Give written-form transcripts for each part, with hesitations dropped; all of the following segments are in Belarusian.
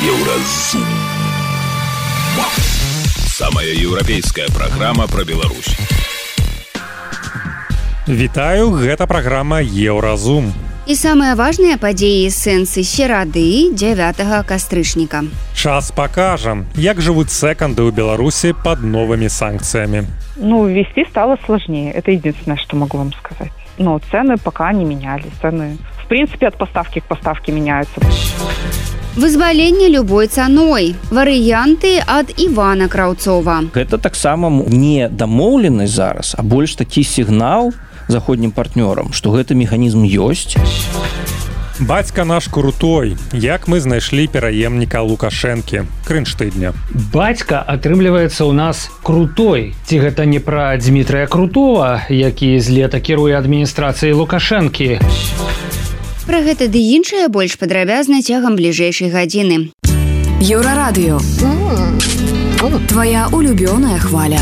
Еўразум. Самая еўрапейская праграма пра Беларусь. Вітаю, гэта праграма Еўразум. І самыя важныя падзеі з сэнсы серады 9 кастрычніка. Час пакажам, як жывуць секонды ў Беларусі под новыми санкциями. Ввести стало сложнее. Это единственное, что могу вам сказать. Но цены пока не менялись. Цены, в принципе, от поставки к поставке меняются. Вызваленне любой цаной. Варыянты ад Івана Краўцова. Гэта таксама не дамоўленасць зараз, а больш такі сігнал заходнім партнёрам, што гэты механізм ёсць. Бацька наш крутой. Як мы знайшлі пераемніка Лукашэнкі. Крынштыдня. Бацька атрымліваецца ў нас крутой. Ці гэта не пра Дмітрыя Крутова, які з лета кіруе адміністрацыяй Лукашэнкі. Пра гэта ды іншае больш падрабязна цягам бліжэйшай гадзіны. Еўрарадыё. Твоя улюбёная хваля.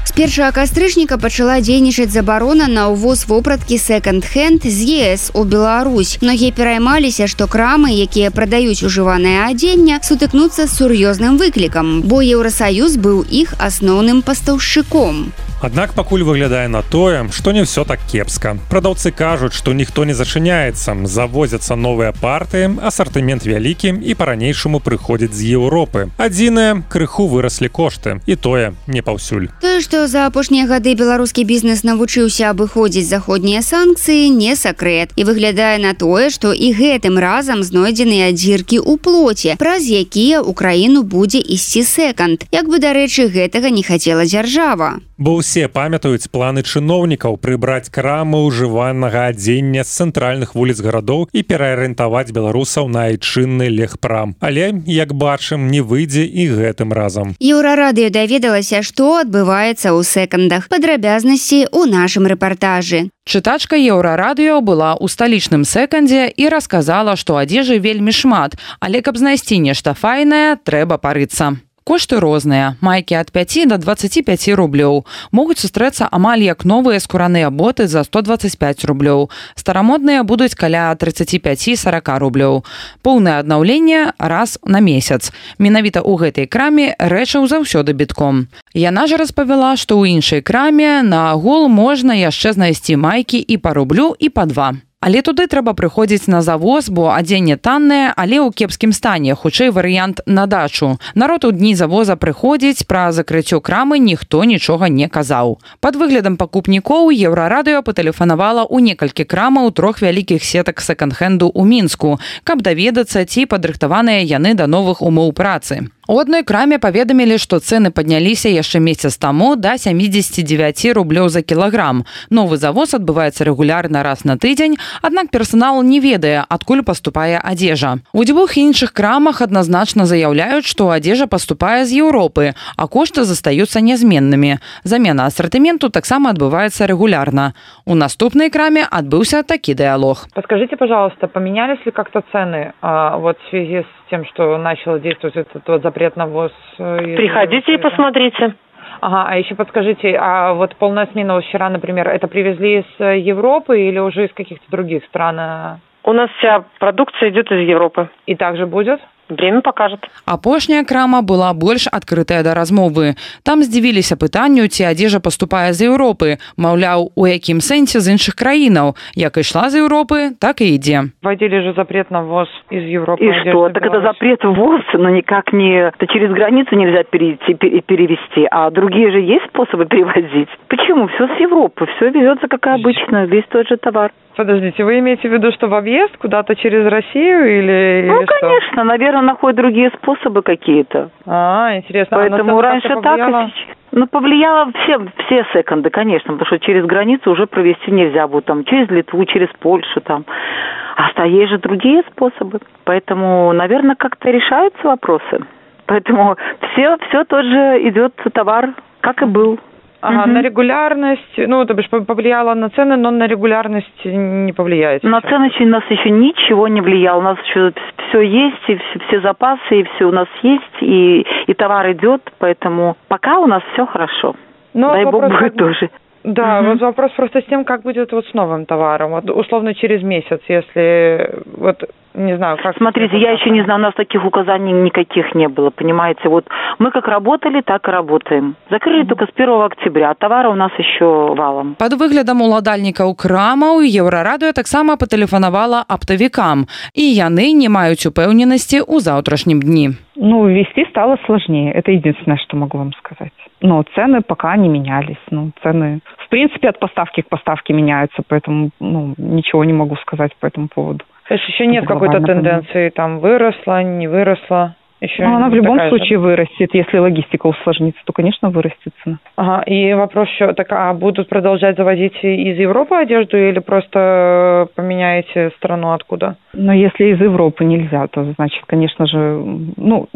З 1 кастрычніка пачала дзейнічаць забарона на ўвоз вопраткі секонд-хенд з ЕС у Беларусь. Многія пераймаліся, што крамы, якія прадаюць ужыванае адзенне, сутыкнуцца з сур'ёзным выклікам, бо Еўрасаюз быў іх асноўным пастаўшчыком. Аднак пакуль выглядае на тое, што не ўсё так кепска. Прадаўцы кажуць, што ніхто не зачыняецца, завозяцца новыя партыі, асартымент вялікі і па-ранейшаму прыходзіць з Еўропы. Адзінае, крыху выраслі кошты, і тое не паўсюль. Тое, што за апошнія гады беларускі бізнес навучыўся абыходзіць заходнія санкцыі, не сакрэт. І выглядае на тое, што і гэтым разам знойдзеныя дзіркі ў плоце, праз якія ў краіну будзе ісці секонд. Як бы, дарэчы, гэтага не хацела дзяржава. Бо ўсе памятаюць планы чыноўнікаў прыбраць крамы ўжыванага адзення з цэнтральных вуліц гарадоў і пераарыентаваць беларусаў на айчынны легпрам. Але, як бачым, не выйдзе і гэтым разам. Еўрарадыё даведалася, што адбываецца ў секондах. Падрабязнасці ў нашым рэпартажы. Чытачка Еўрарадыё была ў сталічным секондзе і расказала, што адзежы вельмі шмат, але каб знайсці нешта файнае, трэба парыцца. Кошты розныя. Майкі ад 5 до 25 рублёў. Могуць сустрэцца амаль як новыя скураныя боты за 125 рублёў. Старамодныя будуць каля 35-40 рублёў. Поўнае аднаўленне раз на месяц. Менавіта ў гэтай краме рэчаў заўсёды бітком. Яна ж распавяла, што ў іншай краме на агул можна яшчэ знайсці майкі і па рублю, і па 2. Але туды трэба прыходзіць на завоз, бо адзенне таннае, але ў кепскім стане, хутчэй варыянт на дачу. Народ у дні завоза прыходзіць, пра закрыццё крамы ніхто нічога не казаў. Пад выглядам пакупнікоў Еўрарадыё патэлефанавала ў некалькі крамаў 3 вялікіх сетак секонд-хенду ў Мінску, каб даведацца, ці падрыхтаваныя яны да новых умоў працы. У адной краме паведамілі, што цэны падняліся яшчэ месяц таму да 79 рублёў за кілаграм. Новы завоз адбываецца рэгулярна раз на тыдзень, аднак персанал не ведае, адкуль паступае адзежа. У дзвюх іншых крамах адназначна заяўляюць, што адзежа паступае з Еўропы, а кошты застаюцца нязменнымі. Замена асартыменту таксама адбываецца рэгулярна. У наступнай краме адбыўся такі дыялог. Подскажите, пожалуйста, поменялись ли как-то цены в связи с тем, что начал действовать этот запрет на ввоз? Приходите и посмотрите. Ага, а еще подскажите, а вот полная смена вчера, например, это привезли из Европы или уже из каких-то других стран? У нас вся продукция идет из Европы. И также будет? Время покажет. Апошняя крама была больш адкрытая да размовы. Там здзівіліся пытанню, ці адзежа паступае з Еўропы. Маўляў, у якім сэнсе з іншых краінаў. Як ішла з Еўропы, так і ідзе. Вводили же запрет на ввоз из Европы. И что? Так это запрет ввоз, но никак не... Это через границу нельзя перевести, а другие же есть способы перевозить. Почему? Все с Европы, все везется как обычно, весь тот же товар. Подождите, вы имеете в виду, что в объезд куда-то через Россию или Ну, что? конечно, наверное, находят другие способы какие-то. Интересно. Поэтому раньше так, и сейчас... повлияло все секонды, конечно, потому что через границу уже провести нельзя будет, там, через Литву, через Польшу, там. А есть же другие способы. Поэтому, наверное, как-то решаются вопросы. Поэтому все тот же идет товар, как и был. Ага, на регулярность, то бишь повлияло на цены, но на регулярность не повлияет. На цены у нас еще ничего не влияло. У нас еще все есть, и все запасы, и все у нас есть, и товар идет, поэтому пока у нас все хорошо. Дай бог будет тоже. Да, вот вопрос просто с тем, как будет вот с новым товаром. Вот условно через месяц, если вот Не знаю, как... Смотрите, я еще не знаю, у нас таких указаний никаких не было, понимаете. Вот мы как работали, так и работаем. Закрыли только с 1 октября, а товара у нас еще валом. Пад выглядам уладальнікаў крамаў Еўрарадыё таксама патэлефанавала аптавікам, і яны не маюць упэўненасці ў заўтрашнім дні. Ну, ввести стало сложнее. Это единственное, что могу вам сказать. Но цены пока не менялись. Ну, цены, в принципе, от поставки к поставке меняются, поэтому, ничего не могу сказать по этому поводу. То есть еще нет какой-то тенденции, там, выросла, не выросла? Еще она в любом случае вырастет. Если логистика усложнится, то, конечно, вырастет цена. Ага, и вопрос еще, так, а будут продолжать завозить из Европы одежду или просто поменяете страну откуда? Но если из Европы нельзя, то, значит, конечно же...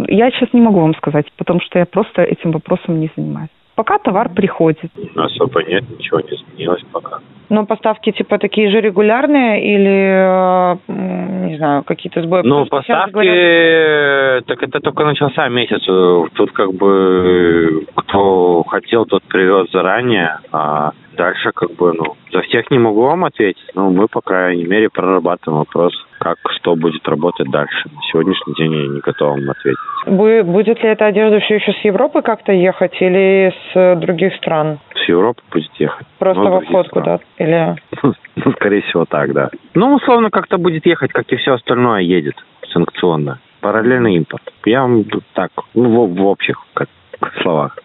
я сейчас не могу вам сказать, потому что я просто этим вопросом не занимаюсь. Пока товар приходит. Особо нет, ничего не изменилось пока. Но поставки типа такие же регулярные или, не знаю, какие-то сбои? Поставки, так это только начался месяц. Тут как бы кто хотел, тот привез заранее, а дальше за всех не могу вам ответить, но мы, по крайней мере, прорабатываем вопрос, как что будет работать дальше. На сегодняшний день я не готов вам ответить. Будет ли эта одежда все еще с Европы как-то ехать или с других стран? С Европы будет ехать. Просто в обход куда-то? Или... скорее всего, так, да. Условно, как-то будет ехать, как и все остальное едет санкционно. Параллельный импорт. Я вам так, в общих словах.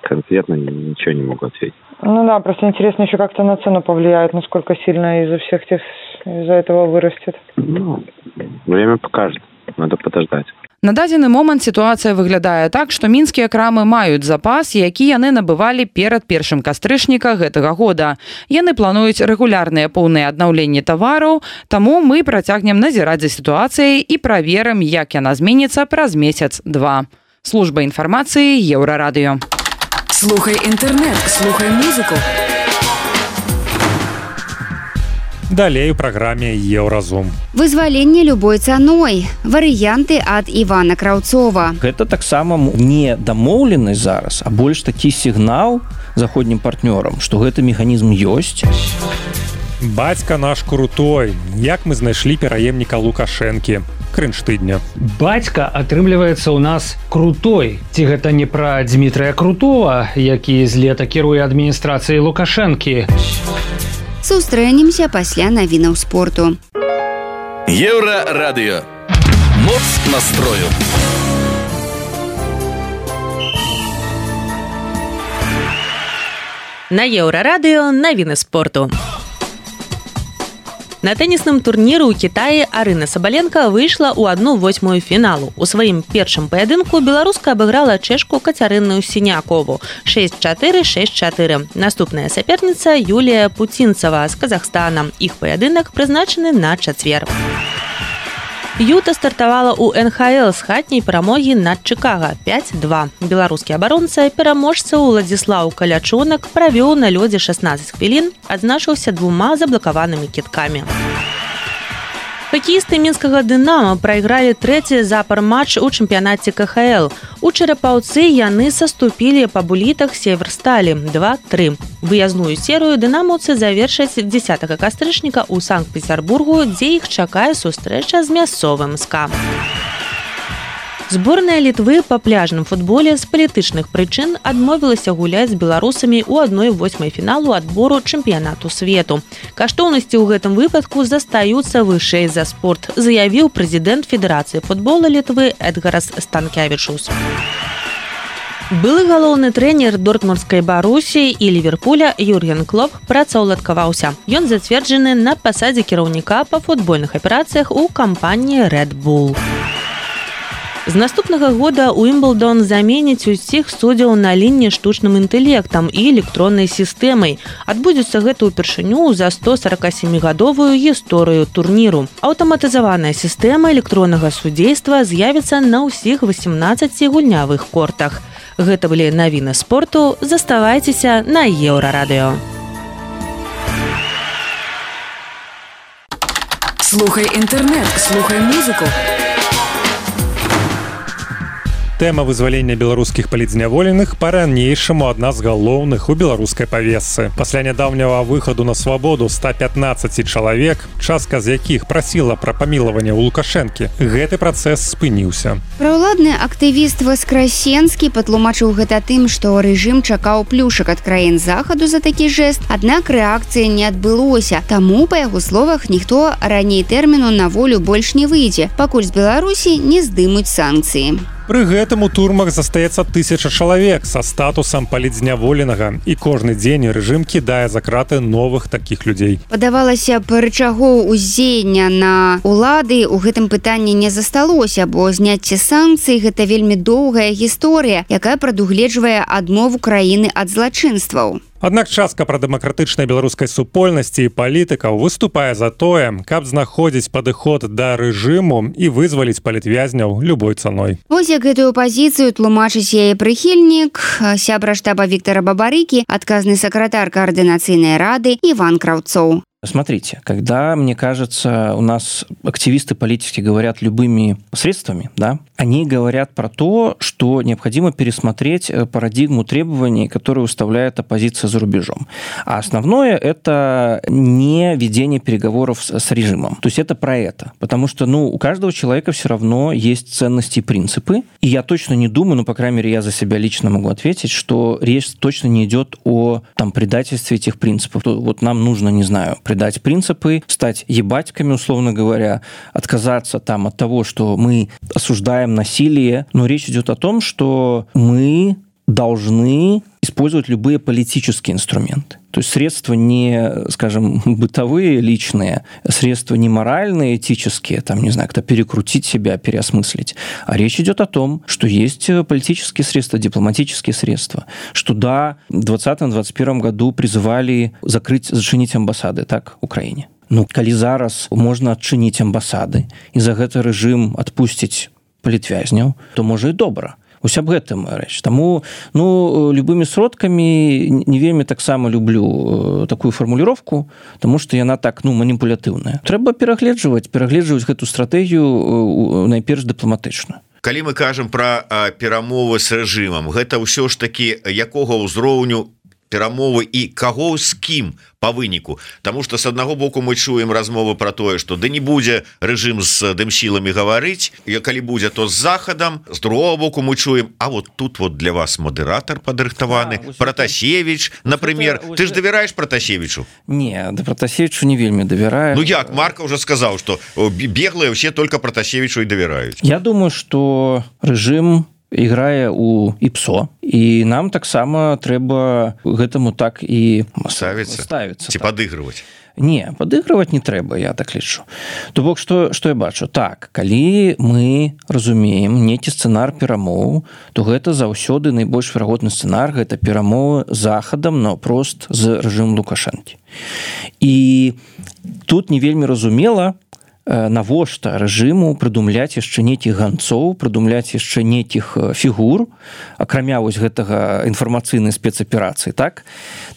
Конкретно ничего не могу ответить. Просто интересно еще как-то на цену повлияет, насколько сильно из-за этого вырастет. Время покажет. Надо подождать. На дадзены момант сітуацыя выглядае так, што мінскія крамы маюць запас, які яны набывалі перад 1 кастрычніка гэтага года. Яны плануюць рэгулярныя поўныя аднаўленні тавараў, таму мы працягнем назіраць за сітуацыяй і праверым, як яна зменіцца праз месяц-два. Служба інфармацыі Еўрарадыё. Слухай інтэрнэт, слухай музыку. Далей у праграме Еўразум. Вызваленне любой цаной. Варыянты ад Івана Краўцова. Гэта таксама не дамоўленасць зараз, а больш такі сігнал заходнім партнёрам, што гэты механізм ёсць. Бацька наш крутой. Як мы знайшлі пераемніка Лукашэнкі? Крынж тыдня. Бацька атрымліваецца ў нас крутой. Ці гэта не пра Дмітрая Крутова, які з лета кіруе адміністрацыяй Лукашэнкі? Сустрэнемся пасля навінаў спорту. Еўрарадыё. Моц настрою. На Еўрарадыё навіны спорту. На тэнісным турніры ў Кітаі Арына Сабаленка выйшла ў 1/8 фіналу. У сваім першым паядынку беларуска абыграла чэшку Кацярыну Сінякову 6-4, 6-4. Наступная саперніца Юлія Пуцінцава з Казахстана. Іх паядынак прызначаны на чацвер. Юта стартавала ў НХЛ з хатняй перамогі над Чыкага 5-2. Беларускі абаронца пераможца Уладзіслаў Калячонак правёў на лёдзе 16 хвілін, адзначыўся 2 заблакаванымі кідкамі. Хакеісты мінскага «Дынама» прайгралі трэці запар матч у чэмпіянаце КХЛ. У Чарапаўцы яны саступілі па булітах Северсталі 2-3. Выязную серыю дынамаўцы завершаць 10 кастрычніка ў Санкт-Петербургу, дзе іх чакае сустрэча з мясцовым СКА. Зборная Літвы па пляжным футболе з палітычных прычын адмовілася гуляць з беларусамі ў 1/8 фіналу адбору чэмпіянату свету. Каштоўнасці ў гэтым выпадку застаюцца вышэй за спорт, заявіў прэзідэнт Федэрацыі футбола Літвы Эдгарас Станкявічус. Былы галоўны трэнер дортмундскай Барусі і Ліверпуля Юрген Клоп працаўладкаваўся. Ён зацверджаны на пасадзе кіраўніка па футбольных аперацыях у кампаніі Red Bull. З наступнага года Уимблдон заменіць усіх суддзяў на лініі штучным інтэлектам і электроннай сістэмай. Адбудзецца гэта ўпершыню за 147-гадовую гісторыю турніру. Аўтаматызаваная сістэма электроннага судзейства з'явіцца на ўсіх 18 гульнявых кортах. Гэта былі навіны спорту. Заставайцеся на Еўрарадыё. Слухай інтэрнэт, слухай музыку. Тэма вызвалення беларускіх палітзняволеных па-ранейшаму адна з галоўных у беларускай павесцы. Пасля нядаўняга выхаду на свабоду 115 чалавек, частка з якіх прасіла пра памілаванне ў Лукашэнкі, гэты працэс спыніўся. Праўладны актывіст Васкрасенскі патлумачыў гэта тым, што рэжым чакаў плюшак ад краін захаду за такі жэст, аднак рэакцыі не адбылося. Таму, па яго словах, ніхто раней тэрміну на волю больш не выйдзе, пакуль з Беларусі не здымуць санкцыі. Пры гэтым у турмах застаецца 1000 чалавек са статусам палітзняволенага, і кожны дзень рэжым кідае за краты новых такіх людзей. Падавалася б, рычагоў уздзеяння на ўлады ў гэтым пытанні не засталося, бо зняцце санкцый – гэта вельмі доўгая гісторыя, якая прадугледжвае адмову краіны ад злачынстваў. Аднак частка прадэмакратычнай беларускай супольнасці і палітыкаў выступае за тое, каб знаходзіць падыход да рэжыму і вызваліць палітвязняў любой цаной. Вось як гэтую пазіцыю тлумачыць яе прыхільнік, сябра штаба Віктора Бабарыкі, адказны сакратар координацыйнай рады Иван Краўцоў. Смотрите, когда, мне кажется, у нас активисты политики говорят любыми средствами, да, они говорят про то, что необходимо пересмотреть парадигму требований, которые выставляет оппозиция за рубежом. А основное – это не ведение переговоров с режимом. То есть это про это. Потому что, у каждого человека все равно есть ценности и принципы. И я точно не думаю, по крайней мере, я за себя лично могу ответить, что речь точно не идет о предательстве этих принципов. Вот нам нужно, не знаю, предать принципы, стать ебатьками, условно говоря, отказаться от того, что мы осуждаем насилие. Но речь идет о том, что мы должны использовать любые политические инструменты. То есть средства не, скажем, бытовые, личные, средства не моральные, этические, не знаю, как-то перекрутить себя, переосмыслить. А речь идет о том, что есть политические средства, дипломатические средства. Что да, в 2020-2021 году призывали зачинить амбассады, так, Украине. Калі зараз можна адчыніць амбасады і за гэта рэжым адпусціць палітвязняў, то можа і добра. Вось аб гэтым рэч. Таму, любымі сродкамі не вельмі таксама люблю такую фармуліроўку, таму што яна так, маніпулятыўная. Трэба перагледжваць гэту стратэгію найперш дыпламатычна. Калі мы кажам пра перамовы з рэжымам, гэта ўсё ж такі якога ўзроўню перамовы і каго з кім по выніку, тому что с аднаго боку мы чуем размовы про тое, что да не будзе рэжым з дымсіламі гаварыць, і калі будзе, то з захадам. З другого боку мы чуем, а вот тут вот для вас модератор падрыхтаваны, Протасевич, например. Ты ж давяраеш Протасевичу? Не, да Протасевичу не вельмі давяраю. Як Марка уже сказал, что беглые все только Протасевичу и доверяют. Я думаю, что рэжым играе у ІПСО, і нам таксама трэба гэтаму так і ставіцца ці падыгрываць. Не, падыгрываць не трэба, я так лічу. То бок, што я бачу? Так, калі мы разумеем нейкі сцэнар перамоў, то гэта заўсёды найбольш верагодны сцэнар, гэта перамовы з захадам наўпрост з рэжымам Лукашэнкі. І тут не вельмі разумела, навошта рэжыму прыдумляць яшчэ нейкіх ганцоў, прыдумляць яшчэ нейкіх фігур, акрамя вось гэтага інфармацыйнай спецаперацыі, так?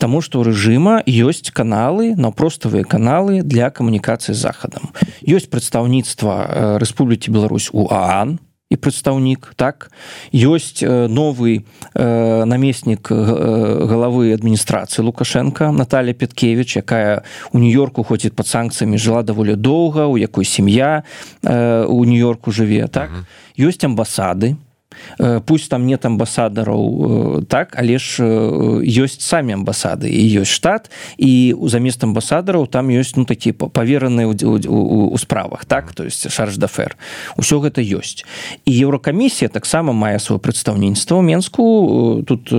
Таму што ў рэжыма ёсць каналы, наўпроставыя каналы для камунікацыі з захадам. Ёсць прадстаўніцтва Рэспублікі Беларусь у ААН, і прадстаўнік, так? Ёсць новы намеснік галавы адміністрацыі Лукашенка Наталья Петкевич, якая у Нью-Йорку ходзіць пад санкцыямі, жыла даволі доўга, у якой сям'я у Нью-Йорку жыве, так? Ёсць амбасады, пусть там нет амбасадараў, так, але ж ёсць самі амбасады, і ёсць штат, і замест амбасадараў там ёсць такі павераныя у справах, так, то есть шарж дафер. Усё гэта ёсць. І Еўракамісія таксама мае сваё прадстаўніцтва ў Менску. Тут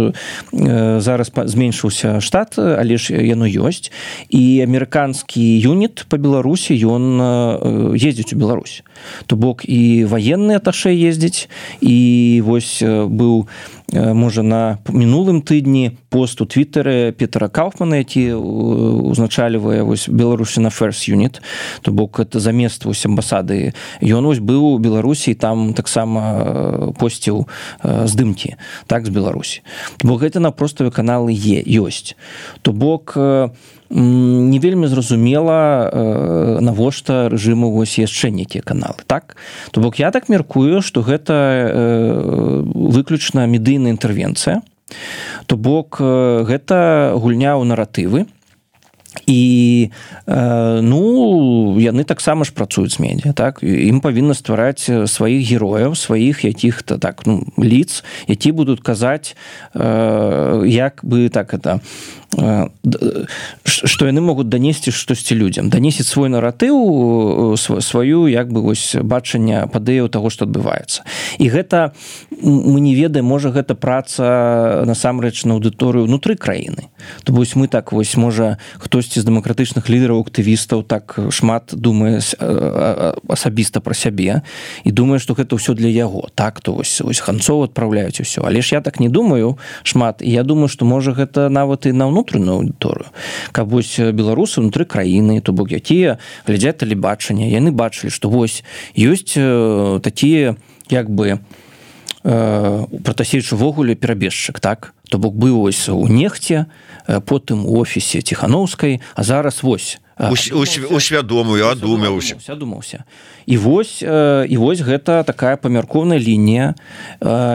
зараз зменшыўся штат, але ж яно ёсць. І амерыканскі юніт па Беларусі, ён ездзіць у Беларусь. То бок і ваенны аташэ ездзіць, і вось быў можа на мінулым тыдні пост у твиттере Петра Кауфмана, які узначальвае Беларусі на First Unit, то бок это замест амбасады. Ён быў у Беларусі, там таксама посціў здымкі так з Беларусі. То бок гэта на проставе каналы ёсць. То бок не вельмі зразумела, навошта рэжыму яшчэ нейкія каналы, так? То бок я так меркую, што гэта выключна медыйная інтэрвенцыя, то бок гэта гульня ў наратывы, і яны таксама ж працуюць з медыа, так? Ім павінна ствараць сваіх герояў, сваіх якіх-то так, лиц, які будуць казаць, як бы так это, што яны могуць данесці штосьці людзям, данесіць свой наратыў, сваю як бы бачанне падэяў таго, што адбываецца. І гэта мы не ведаем, можа гэта праца насамрэч на аўдыторыю ўнутры краіны. То вось мы так можа хтосьці з дэмакратычных лідараў, актывістаў так шмат думае асабіста пра сябе і думае, што гэта ўсё для яго. Так, то вось Ханцоў адпраўляюць усё. Але ж я так не думаю шмат, і я думаю, што можа гэта нават і на ўнутраную аўдыторыю. Каб вось беларусы ўнутры краіны, то бок якія глядзяць тэлебачанне, яны бачылі, што вось ёсць такія як бы Пратасевіч увогуле перабежчык, так? То бок быў вось у Нехце, потым у офісе Ціханаўскай, а зараз вось усвядомую, адумаўся. І вось гэта такая памяркоўная лінія,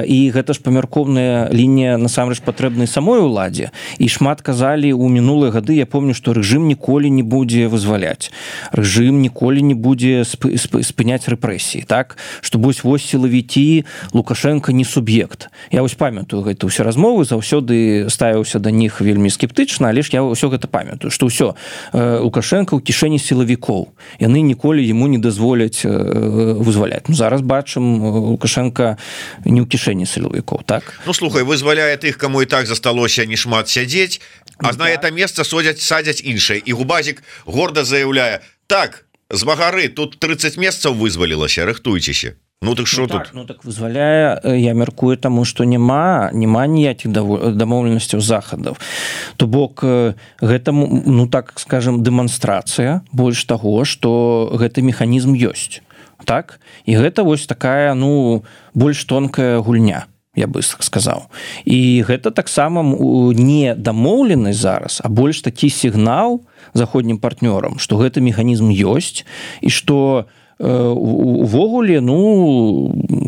і гэта ж памяркоўная лінія насамрэч патрэбнай самой уладзе. І шмат казалі ў мінулыя гады, я помню, што рэжым ніколі не будзе вызваляць. Рэжым ніколі не будзе спыняць рэпрэсіі, так? Што вось сілавікі, Лукашенко не суб'ект. Я вось памятаю гэта ўсе размовы, заўсёды ставіўся да них вельмі скептычна, але ж я ўсё гэта памятаю, што ўсё Лукашенко ў кішэні сілавікоў. Яны ніколі яму не дазволяць вызваляць. Зараз бачым, Лукашенко не ў кішэні сілавікоў, так? Слухай, вызваляе тых, каму і так засталося не шмат сядзець, а на это месца садзяць іншае. І Губазік горда заяўляе: так, з Магары тут 30 месцаў вызвалілася, рыхтуйцеся. Так що тут? Так вызваляе, я мяркую, таму што няма ніякіх дамоўленасцяў захадаў. То бок гэта, так скажем, дэманстрацыя больш таго, што гэты механізм ёсць. Так? І гэта вось такая, больш тонкая гульня, я бы сказаў. І гэта таксама не дамоўленасць зараз, а больш такі сігнал заходнім партнёрам, што гэты механізм ёсць і што увогуле,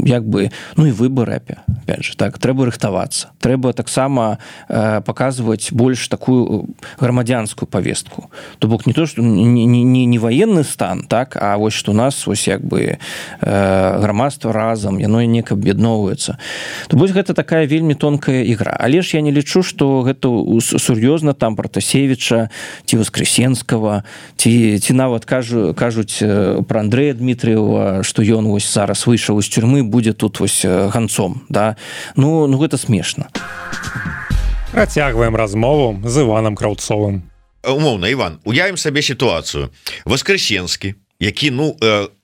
як бы, і выбары, опять же, так, трэба рыхтавацца. Трэба таксама паказваць больш такую грамадзянскую павестку. То бок не то, што не военны стан, так, а вось што у нас вось як бы грамадства разам, яно неяк аб'ядноўваецца. То вось гэта такая вельмі тонкая ігра. Але ж я не лічу, што гэта сур'ёзна там Пратасевіча ці Воскресенскага, ці нават кажуць пра Андрэя Дмітрыева, што ён вось зараз выйшаў з тюрьмы, будзе тут вось ганцом, да? Гэта смешна. Працягваем размову з Іванам Краўцовым. Умоўна, Іван, уявім сабе сітуацыю. Воскресенскі, які,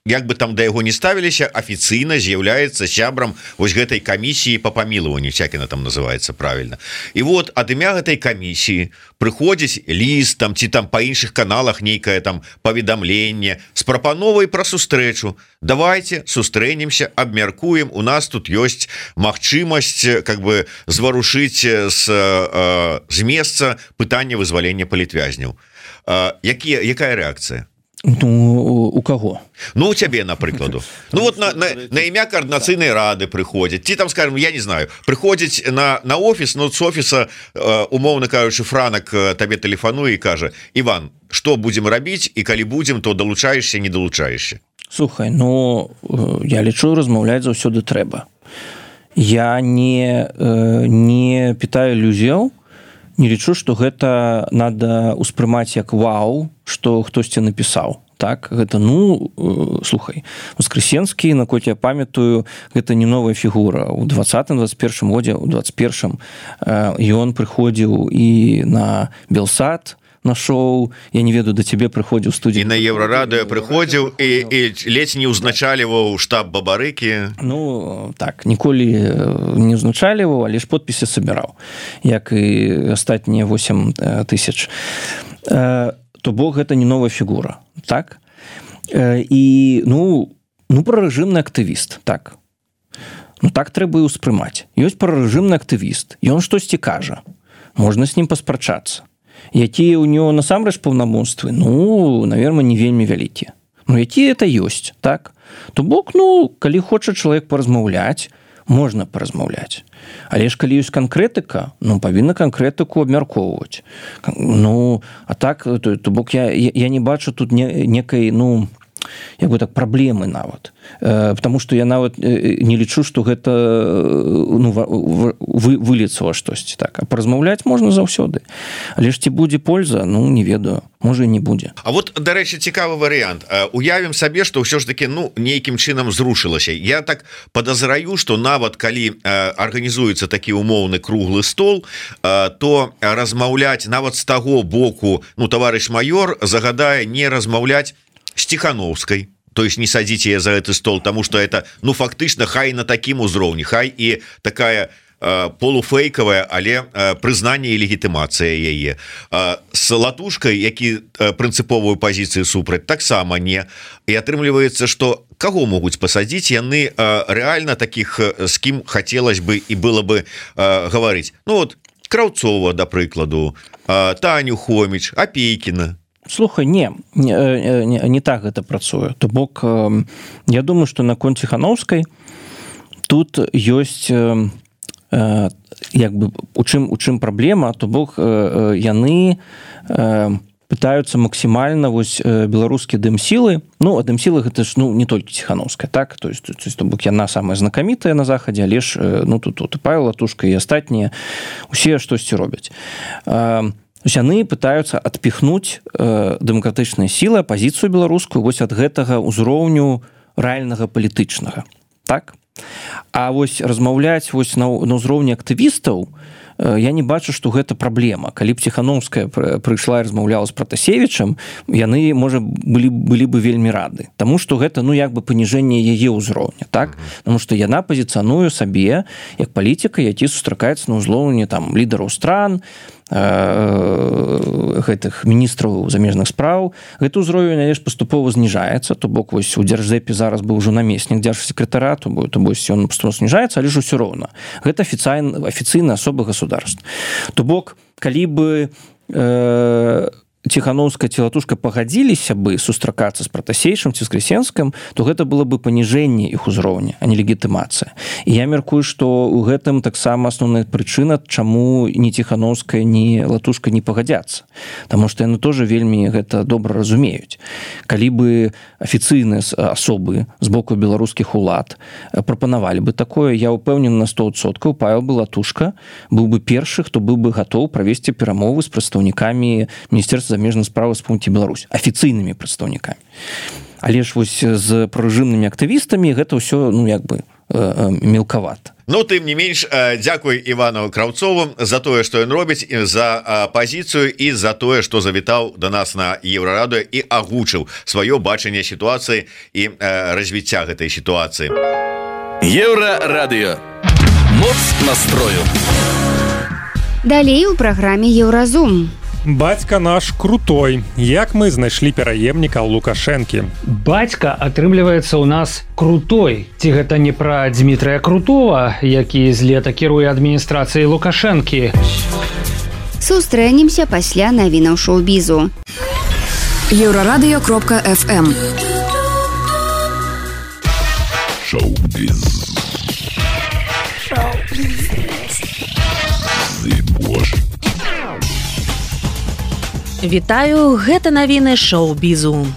як бы там да яго не ставіліся, афіцыйна з'яўляецца сябрам вось гэтай камісіі па памілаванню, як яна там называецца правільна. І вот ад імя гэтай камісіі прыходзіць ліст там ці там па іншых каналах нейкае там паведамленне з прапановай пра сустрэчу. Давайте сустрэнемся, абмяркуем, у нас тут ёсць магчымасць как бы зварушыць з месца пытання вызвалення палітвязняў. Якая рэакцыя? У каго? У цябе, напрыкладу. Вот на імя координацыйнай рады прыходзяць. Ці там, скажем, я не знаю, прыходзіць на офіс, з офіса, умоўна кажучы, Франак табе тэлефануе і кажа: Іван, што будзем рабіць, і калі будзем, то далучаешся, не далучаешся? Слухай, я лічу, размаўляць заўсёды трэба. Я не пытаю ілюзіяў, не лічу, што гэта надо ўспрымаць як вау, што хтосьці напісаў. Так, гэта, слухай, Воскресенскі, наколькі я памятаю, гэта не новая фігура. У 20-21 годзе, у 21-м ён прыходзіў і на Белсад, на шоу, я не ведаю, да цябе прыходзіў студзень. І на Еўрарадыё прыходзіў і ледзь не ўзначаліваў штаб Бабарыкі. Ну, так, ніколі не ўзначаліваў, але ж подпісы сабіраў, як і астатнія 8 тысяч. То бок гэта не новая фігура, так? І, ну, прарэжымны актывіст, так. Ну, так трэба і ўспрымаць. Ёсць прарэжымны актывіст, ён штосьці кажа. Можна з ним паспрачацца. Якія ў него насамрэч паўнамоцтвы? Ну, наверное, не вельмі вялікія. Ну, якія это ёсць, так? То бок, ну, калі хоча чалавек паразмаўляць, можна паразмаўляць. Але ж калі ёсць канкрэтыка, ну, павінна канкрэтыку абмяркоўваць. Ну, а так, то бок я не бачу тут некай, ну, як бы так, праблемы нават. Потому што я нават не лічу, што гэта ну, выліцца ва штосьці. Так. А паразмаўляць можна заўсёды. Але ж ці будзе польза, ну, не ведаю. Можа, і не будзе. А вот, дарэчы, цікавы варыянт. Уявім сабе, што ўсё ж таки, ну, нейкім чынам зрушылася. Я так падазраю, што нават калі арганізуецца такі умоўны круглы стол, то размаўляць нават з таго боку, ну, таварыш майор загадае не размаўляць с Тихановской, то есть не садите ее за этот стол, потому что это, ну, фактично, хай на таким узроўні, хай и такая полуфейковая, але прызнанне і легітымацыя яе. С Латушкой, які прынцыповую пазіцыю супраць, таксама не. І атрымліваецца, што каго могуць пасадзіць, яны рэальна такіх, з кім хацелось бы і было бы гаварыць. Ну вот, Краўцова, да прыкладу, Таню Хоміч, Апейкіна. Слухай, не так гэта працуе. То бок, я думаю, што наконт Тихановскай тут ёсць як бы у чым праблема, то бок яны пытаюцца максімальна вось беларускія дэмсілы, ну, а дэмсілы гэта ж, ну, не толькі Тихановская, так, то есть то бок яна самая знакамітая на захадзе, але ж, ну, тут і Павел Латушка і астатнія усе штосьці робяць. Яны пытаюцца адпіхнуць дэмакратычныя сілы, апазіцыю беларускую вось ад гэтага ўзроўню рэальнага палітычнага, так? А вось размаўляць вось на ўзроўні актывістаў я не бачу, што гэта праблема. Калі б Тихановская прыйшла і размаўляла з Пратасевічам, яны, можа, былі бы вельмі рады. Таму што гэта, ну, як бы паніжэнне яе ўзроўня, так? Таму што яна пазіцыянуе сабе як палітыка, які сустракаецца на ўзроўні там лідараў стран, гэтых міністраў замежных спраў. Гэты ўзровень, але ж паступова зніжаецца, то бок вось у дзярждэпе зараз быў ужо намеснік дзяржсекратара, то вось ён паступова зніжаецца, але ж усё роўна. Гэта афіцыйная асоба государства. То бок, калі бы Тихановская ці Латушка пагадзіліся бы сустракацца з Пратасейчым ці з Крысенскім, то гэта было бы паніжэнне іх узроўня, а не легітымацыя. І я мяркую, што ў гэтым таксама асноўная прычына, чаму ні Тихановская, ні Латушка не пагадзяцца. Таму што яны тоже вельмі гэта добра разумеюць. Калі бы афіцыйныя асобы з боку беларускіх улад прапанавалі бы такое, я ўпэўнены на 100%, Павел бы Латушка быў бы першы, хто быў бы гатоў правесці перамовы з прадстаўнікамі Міністэрства замежных справ Рэспублікі Беларусь, афіцыйнымі прадстаўнікамі. Але ж вось з прарэжымнымі актывістамі гэта ўсё, ну, як бы мелкавата. Ну, тым не менш, дзякуй Івану Краўцову за тое, што ён робіць, за пазіцыю і за тое, што завітаў да нас на Еўрарадыё і агучыў сваё бачанне сітуацыі і развіцця гэтай сітуацыі. Еўрарадыё. Моц настрою. Далей у праграме Еўразум. Бацька наш крутой. Як мы знайшлі пераемніка Лукашэнкі? Бацька, атрымліваецца, у нас крутой. Ці гэта не пра Дмітрая Крутова, які з лета кіруе адміністрацыяй Лукашэнкі? Сустрэнемся пасля навінаў шоу-бізу. Еўрарадыё.фм. Шоу-біз. Вітаю, гэта навіны шоу-бізу.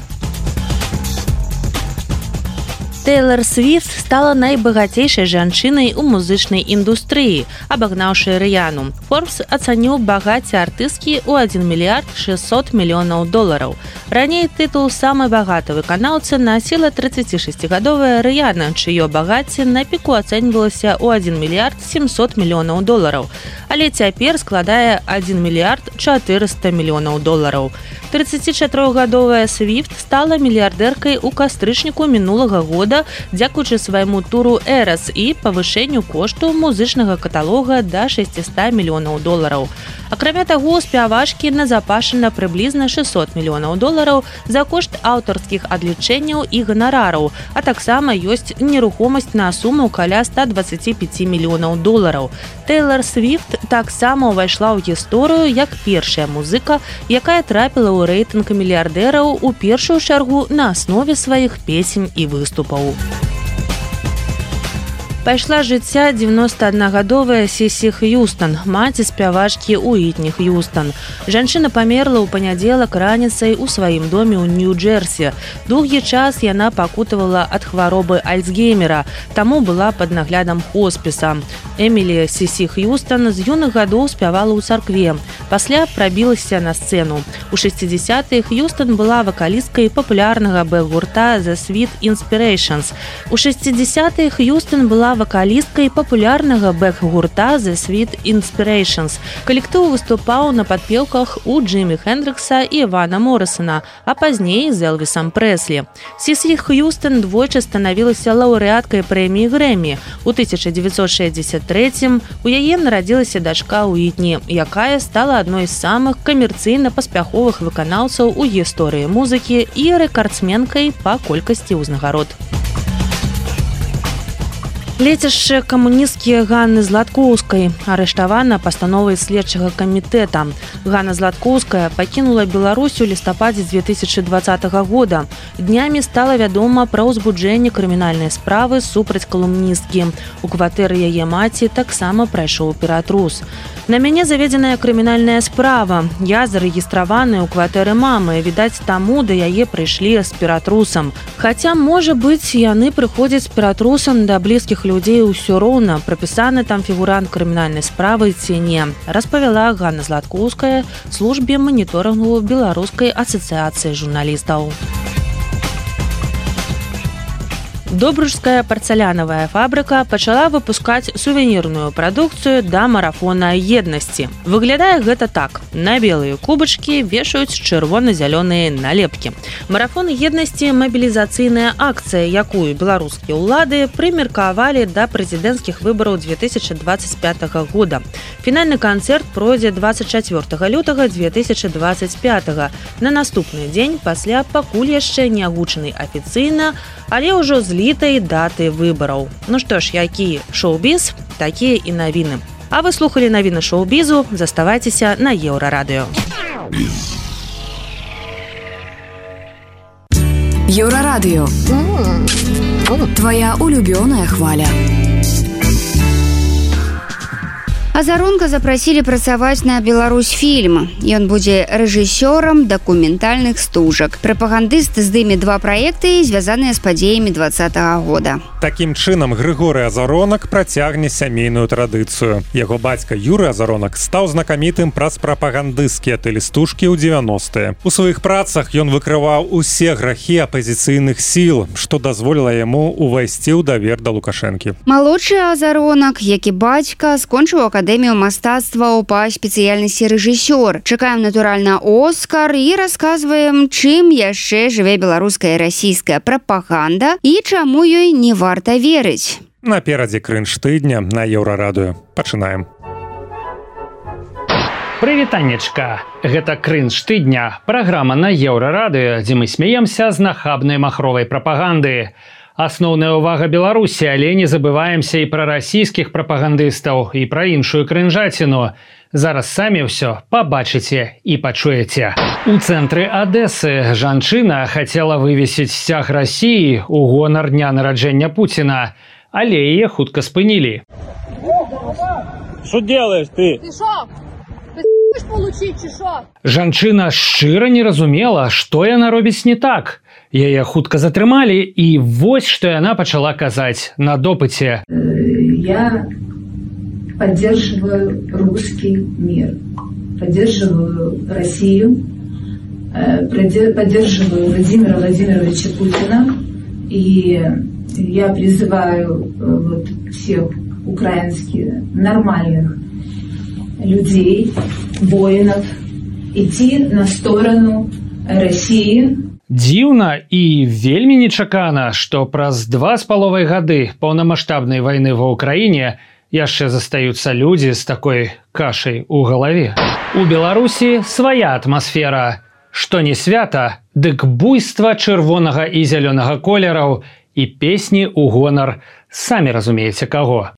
Тэйлор Свіфт стала найбагацейшай жанчынай у музычнай індустрыі, абагнаўшы Рыяну. Forbes ацаніў багацце артысткі ў 1 мільярд 600 мільёнаў долараў. Раней тытул самай багатай выканаўцы насіла 36-гадовая Рыяна, чыё багацце на піку ацэньвалася ў 1 мільярд 700 мільёнаў долараў. але цяпер складае 1 мільярд 400 мільёнаў долараў. 34-гадовая Свифт стала мільярдэркай у кастрычніку мінулага года дзякуючы свайму туру «Эрас» і павышэнню кошту музычнага каталога да 600 мільёнаў долараў. Акрамя таго, у спявачкі назапашана прыблізна 600 мільёнаў долараў за кошт аўтарскіх адлічэнняў і ганарараў, а таксама ёсць нерухомасць на суму каля 125 мільёнаў долараў. Тэйлор Свифт таксама ўвайшла ў гісторыю як першая музыка, якая трапіла ў рэйтынг мільярдэраў у першую чаргу на аснове сваіх песень і выступаў. Пайшла з жыцця 91-гадовая Сісі Х'юстан, маці спявачкі Уітні Х'юстан. Жанчына памерла ў панядзелак раніцай у сваім доме ў Нью-Джерсі. Доўгі час яна пакутавала ад хваробы Альцгеймера, таму была пад наглядам хоспіса. Эмілі Сісі Х'юстан з юных гадоў спявала ў царкве. Пасля прабілася на сцэну. У 60-е Х'юстан была вакалісткай папулярнага бэк-гурта The Sweet Inspirations. У 60-е Х'юстан была вакалісткай папулярнага бэк-гурта The Sweet Inspirations. Калектыў выступаў на падпеўках у Джимі Хендрикса і Вана Моррисона, а пазней з Элвісам Прэслі. Сісі Х'юстан двойчы станавілася лаўрэаткай прэміі Грэмі. У 1963-м у яе нарадзілася дачка Уітні, якая стала адной з самых камерцыйна-паспяховых выканаўцаў у гісторыі музыкі і рэкардсменкай па колькасці ўзнагарод. Лецішча камуністкі Ганны Златкоўскай арыштавана пастановай следчага камітэта. Ганна Златкоўская пакінула Беларусь у лістападзе 2020 года. Днямі стала вядома пра ўзбуджэнне крымінальнай справы супраць калумністкі. У кватэры яе маці таксама прайшоў ператрус. На мяне заведзеная крымінальная справа. Я зарэгістраваны ў кватэры мамы. Відаць, таму да яе прыйшлі з ператрусам. Хаця, можа быць, яны прыходзяць з ператрусам да блізкіх людзей ўсё роўна, прапісаны там фігурант крымінальнай справы ці не, распавяла Ганна Златкоўская службе маніторынгу Беларускай асацыяцыі журналістаў. Добружская парцалянавая фабрыка пачала выпускаць сувенірную прадукцыю да марафона еднасці. Выглядае гэта так. На белыя кубачкі вешаюць чырвона-зялёныя налепкі. Марафон еднасці – мабілізацыйная акцыя, якую беларускія ўлады прымеркавалі да прэзідэнцкіх выбараў 2025 года. Фінальны канцэрт пройдзе 24 лютага 2025. На наступны дзень пасля пакуль яшчэ не агучанай афіцыйна, але ўжо злітай даты выбараў. Ну што ж, які шоу-біз, такія і навіны. А вы слухалі навіны шоу-бізу, заставайцеся на Еўрарадыё. Еўрарадыё. Твоя улюбёная хваля. Азаронка запрасілі працаваць на Беларусьфільм. Ён будзе рэжысёрам дакументальных стужак. Прапагандыст здыме 2 праекты, звязаныя з падзеямі 2020 года. Такім чынам Грыгорый Азаронак працягне сямейную традыцыю. Яго бацька Юрый Азаронак стаў знакамітым праз прапагандысцкія тэлестужкі ў 90-е. У сваіх працах ён выкрываў усе грахі апазіцыйных сіл, што дазволіла яму увайсці ў давер да Лукашэнкі. Малодшы Азаронак, як і бацька, скончыў Акадэмію мастацтваў па спецыяльнасці рэжысёр. Чакаем, натуральна, Оскар і расказваем, чым яшчэ жыве беларуская і расійская прапаганда і чаму ёй не варта верыць. Наперадзе крынж тыдня на Еўрарадыё. Пачынаем. Прывітаннечка. Гэта крынж тыдня. Праграма на Еўрарадыё, дзе мы смеемся з нахабнай махровай прапаганды. Асноўная ўвага Беларусі, але не забываемся і пра расійскіх прапагандыстаў, і пра іншую крынжаціну. Зараз самі ўсё пабачыце і пачуеце. У цэнтры Адэсы жанчына хацела вывесіць сцяг Расіі ў гонар дня нараджэння Пуціна, але яе хутка спынілі. Што делаеш ты? Ты шо? Ты хочаш получить, ці шо? Жанчына шчыра не разумела, што яна робіць не так. Яе хутка затрымалі, і вось што яна пачала казаць на допыце. Я поддерживаю русский мир, поддерживаю Россию, поддерживаю Владимира Владимировича Путина, и я призываю всех украинских нормальных людей, воинов, идти на сторону России. Дзіўна і вельмі нечакана, што праз 2,5 гады паўнамаштабнай вайны ва ўкраіне яшчэ застаюцца людзі з такой кашай у галаве. У Беларусі свая атмасфера. Што не свята, дык буйства чырвонага і зялёнага колераў і песні ў гонар, самі разумееце каго.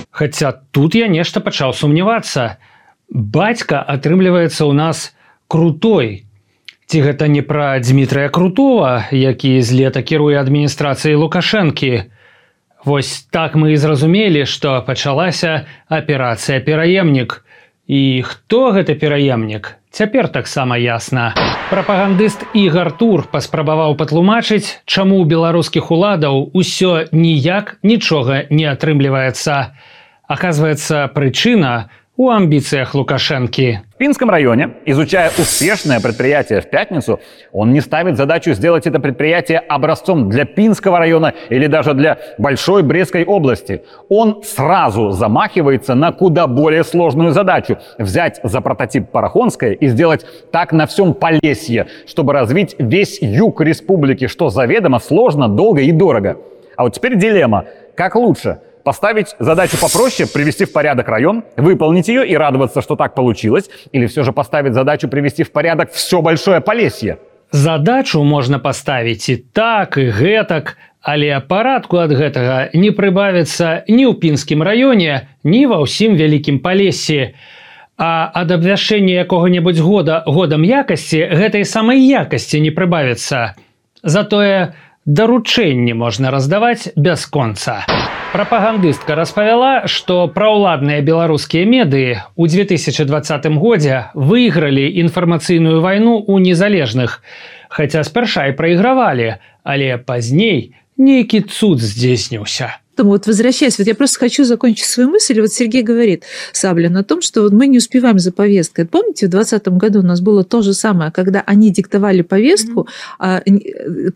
Хаця тут я нешта пачаў сумнявацца. Бацька атрымліваецца ў нас крутой. Ці гэта не пра Дмітрая Крутова, які з лета кіруе адміністрацыяй Лукашэнкі? Вось так мы і зразумелі, што пачалася аперацыя «Пераемнік». І хто гэты пераемнік? Цяпер таксама ясна. Прапагандыст Ігар Тур паспрабаваў патлумачыць, чаму ў беларускіх уладаў усё ніяк нічога не атрымліваецца. Оказывается, причина у амбициях Лукашенки. В Пинском районе, изучая успешное предприятие в пятницу, он не ставит задачу сделать это предприятие образцом для Пинского района или даже для Большой Брестской области. Он сразу замахивается на куда более сложную задачу – взять за прототип Парахонское и сделать так на всем Полесье, чтобы развить весь юг республики, что заведомо сложно, долго и дорого. А вот теперь дилемма. Как лучше? Поставить задачу попроще, привести в порядок район, выполнить ее и радоваться, что так получилось, или все же поставить задачу привести в порядок все Большое Полесье? Задачу можна паставіць і так, і гэтак, але парадку ад гэтага не прыбавіцца ні ў Пінскім раёне, ні ва ўсім Вялікім Палессі. А ад абвяшчэння якога-небудзь годам якасці гэтай самай якасці не прыбавіцца. Затое даручэнні можна раздаваць бясконца. Прапагандыстка распавяла, што праўладныя беларускія медыі ў 2020 годзе выйгралі інфармацыйную вайну ў незалежных, хаця спярша і прайгравалі, але пазней нейкі цуд здзейсніўся. Вот возвращаясь, вот я просто хочу закончить свою мысль. Вот Сергей говорит, Саблин, о том, что вот мы не успеваем за повесткой. Помните, в 2020 году у нас было то же самое, когда они диктовали повестку,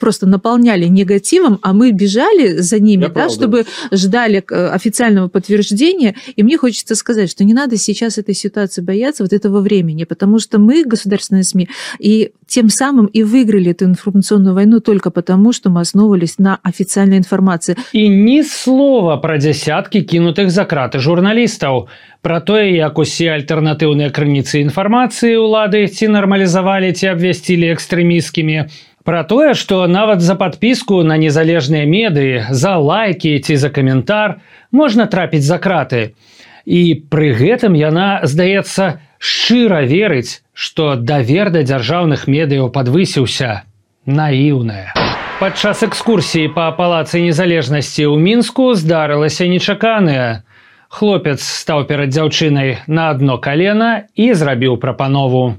просто наполняли негативом, а мы бежали за ними, да, чтобы ждали официального подтверждения. И мне хочется сказать, что не надо сейчас этой ситуации бояться, вот этого времени, потому что мы, государственные СМИ, и тем самым и выиграли эту информационную войну только потому, что мы основывались на официальной информации. И ни слова пра дзясяткі кінутых за краты журналістаў, пра тое, як усе альтэрнатыўныя крыніцы інфармацыі ўлады ці нармалізавалі, ці абвясцілі экстрэмісцкімі, пра тое, што нават за падпіску на незалежныя медыі, за лайкі ці за каментар можна трапіць за краты. І пры гэтым яна, здаецца, шчыра верыць, што давер да дзяржаўных медыяў падвысіўся. Наіўная. Падчас экскурсіі па палацы незалежнасці ў Мінску здарылася нечаканае. Хлопец стаў перад дзяўчынай на адно калена і зрабіў прапанову.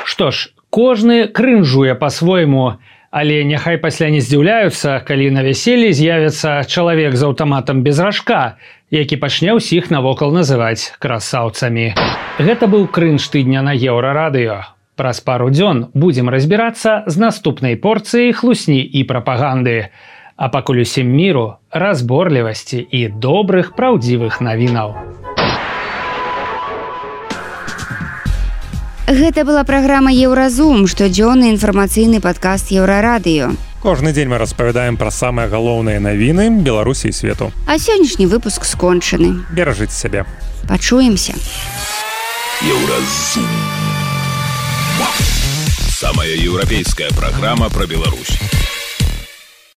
Што ж, кожны крынжуе па-свойму, але няхай пасля не здзіўляюцца, калі на вяселлі з'явіцца чалавек з аўтаматам без ражка, які пачне ўсіх навокал называць красаўцамі. Гэта быў крынж тыдня на Еўрарадыё. Праз пару дзён будзем разбірацца з наступнай порцыяй хлусні і прапаганды. А пакуль усім міру, разборлівасці і добрых праўдзівых навінаў. Гэта была праграма «Еўразум», штодзённы інфармацыйны падкаст Еўрарадыё. Кожны дзень мы распавядаем пра самыя галоўныя навіны Беларусі і свету. А сённяшні выпуск скончаны. Беражыце сябе. Пачуемся. Еўразум. Самая еўрапейская праграма пра Беларусь.